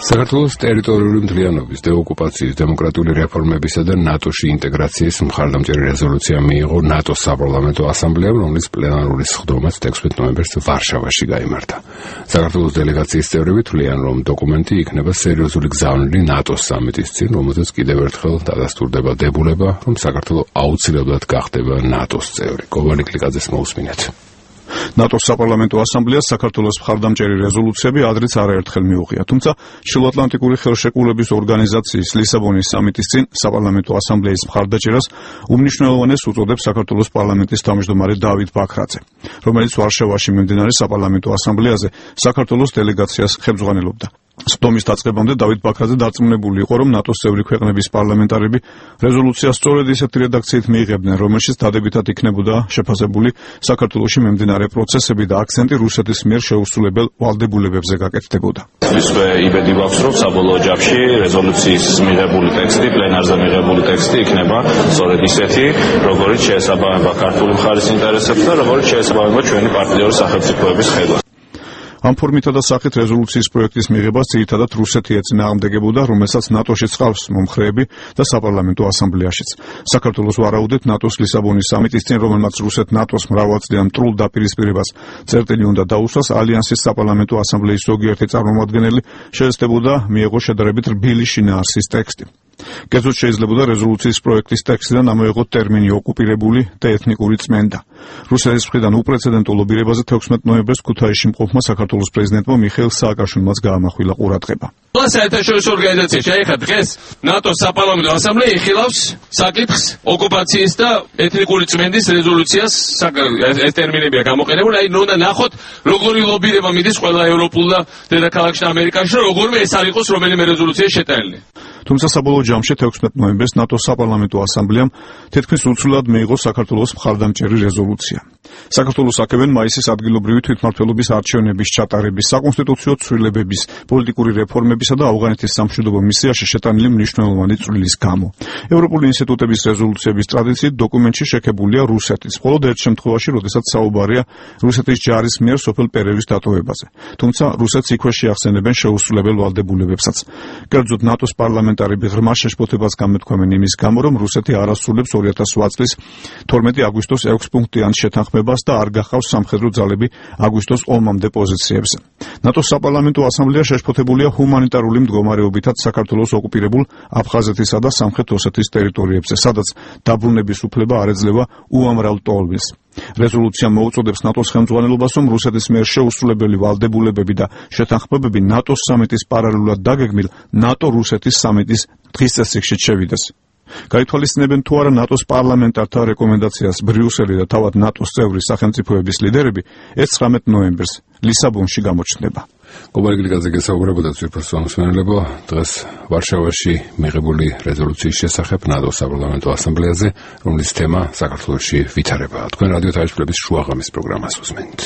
საქართველოს ტერიტორიული მთლიანობის დეოკუპაციის, დემოკრატიული რეფორმებისა და ნატოში ინტეგრაციის მხარდამჭერი რეზოლუცია მიიღო ნატოს საპარლამენტო ასამბლეამ, რომლის პლენარული სხდომაც 16 ნოემბერს ვარშავაში გაიმართა. საქართველოს დელეგაციის წევრები თვლიან, რომ დოკუმენტი იქნება სერიოზული გზავნილი ნატოს სამიტის წინ, რომელზეც კიდევ ერთხელ დადასტურდება დებულება, რომ საქართველო აუცილებლად გახდება ნატოს წევრი. გოვანი კლიკაძეს მოусმინეთ. ნატოს საპარლამენტო ასამბლეას საქართველოს მხარდამჭერი რეზოლუციები ადრეც არაერთხელ მიუღია, თუმცა ჩრდილოატლანტიკური ხელშეკრულების ორგანიზაციის ლისაბონის სამიტის წინ საპარლამენტო ასამბლეის მხარდაჭერას უმნიშვნელოვანეს უწოდებს საქართველოს პარლამენტის თავმჯდომარე დავით ბაქრაძე, რომელიც ვარშავაში მიმდინარე საპარლამენტო ასამბლეაზე საქართველოს დელეგაციას ხელმძღვანელობდა. სხდომის დაწყებამდე დავით ბაქრაძე დარწმუნებული იყო, რომ ნატოს წევრი ქვეყნების პარლამენტარები რეზოლუციას სწორედ ისეთი რედაქციით მიიღებდნენ, რომელშიც დადებითად იქნებოდა შეფასებული საქართველოში მიმდინარე პროცესები და აქცენტი რუსეთის მიერ შეუსრულებელ ვალდებულებებზე გაკეთდებოდა. ისვე იბედი გვაქვს, რომ საბოლოო ჯამში რეზოლუციის მიღებული ტექსტი, პლენარზე მიღებული ტექსტი იქნება სწორედ ისეთი, როგორიც შეესაბამება ქართული მხარის ინტერესებს და როგორიც შეესაბამება ჩვენი პარტნიორი სახელმწიფოების ხედვას. ამ ფორმითა და სახით რეზოლუციის პროექტის მიღებას ძირითადად რუსეთი ეწინააღმდეგებოდა, რომელსაც ნატოში ჰყავს მომხრეები და საპარლამენტო ასამბლეაშიც. საქართველოს ვარაუდით ნატოს ლისაბონის სამიტის წინ, რომელმაც რუსეთ ნატოს მრავალწლიან მტრულ დაპირისპირებას წერტილი უნდა დაუსვას, ალიანსის საპარლამენტო ასამბლეის ზოგიერთი წარმომადგენელი შეეცდებოდა მიეღოს შედარებით რბილი შინაარსის ტექსტი. კერძოდ შეიძლებოდა რეზოლუციის პროექტის ტექსტიდან ამოეღოთ ტერმინი ოკუპირებული და ეთნიკური წმენდა. რუსეთის მხრიდან უპრეცედენტო ლობირებაზე 16 ნოემბერს ქუთაისში მყოფმა საქართველოს პრეზიდენტმა მიხეილ სააკაშვილმაც გაამახვილა ყურადღება. საერთაშორისო ორგანიზაცია შეეხა დღეს ნატოს საპარლამენტო ასამბლეა იხილავს საკითხს ოკუპაციის და ეთნიკური წმენდის რეზოლუციას ეს ტერმინებია გამოყენებული. აი უნდა ნახოთ როგორი ლობირება მიდის ყველა ევროპულ და დედაქალაქში და ამერიკაში, რომ როგორმე ეს არ იყოს რომელიმე რეზოლუცია შეტანილი. თუმცა საბოლოო ჯამში 16 ნოემბერს ნატოს საპარლამენტო ასამბლეამ თითქმის უცვლელად მიიღო საქართველოს მხარდამჭერი რეზოლუცია. საქართველოს აკევენ მაისის ადგილობრივი თვითმმართველობის არჩევნების ჩატარების, საკონსტიტუციო ცვლილებების, პოლიტიკური რეფორმებისა და ავღანეთის სამშვიდობო მისიაში შეტანილი მნიშვნელოვანი წვლილის გამო. ევროპული ინსტიტუტების რეზოლუციების ტრადიციით დოკუმენტში შექებულია რუსეთის, მხოლოდ ერთ შემთხვევაში, როდესაც საუბარია რუსეთის ჯარის მიერ სოფელ პერევის დატოვებაზე. თუმცა რუსეთს იქვე შეახსენებენ შეუსრულებელ ვალდებულებებსაც. კერძოდ ნატოს პარლამენტარები ღრმა შეშფოთებას გამეთქვამენ იმის გამო, რომ რუსეთი არ ასრულებს 2008 წლის 12 აგვისტოს 6 პუნქტიან შეთანხმებას და არ გახავს სამხედრო ძალები აგვისტოს ომამდე პოზიციებზე. ნატოს საპარლამენტო ასამბლეა შეშფოთებულია ჰუმანიტარული მდგომარეობითაც საქართველოს ოკუპირებულ აფხაზეთისა და სამხრეთ ოსეთის ტერიტორიებზე, სადაც დაბრუნების უფლება არ ეძლევა უამრავ ტოლმილს. რეზოლუცია მოუწოდებს ნატოს ხელმძღვანელობას, რომ რუსეთის მიერ შეუსრულებელი ვალდებულებები და შეთანხმებები ნატოს სამიტის პარალელურად დაგეგმილ ნატო-რუსეთის სამიტის დღის წესრიგშიც შევიდეს. გაითვალისწინებენ თუ არა ნატოს პარლამენტართა რეკომენდაციას ბრიუსელი და თავად ნატოს წევრი სახელმწიფოების ლიდერები 19 ნოემბერს ლისაბონში გამოჩნდება. გოვანი კლიკაძე გესაუბრებოდა ძვირფას მომსმენელებო დღეს ვარშავაში მიღებული რეზოლუციის შესახებ ნატოს საპარლამენტო ასამბლეაზე, რომლის თემა საქართველოში ვითარებაა. თქვენ რადიო თავისუფლების შუაღამის პროგრამას უსმენთ.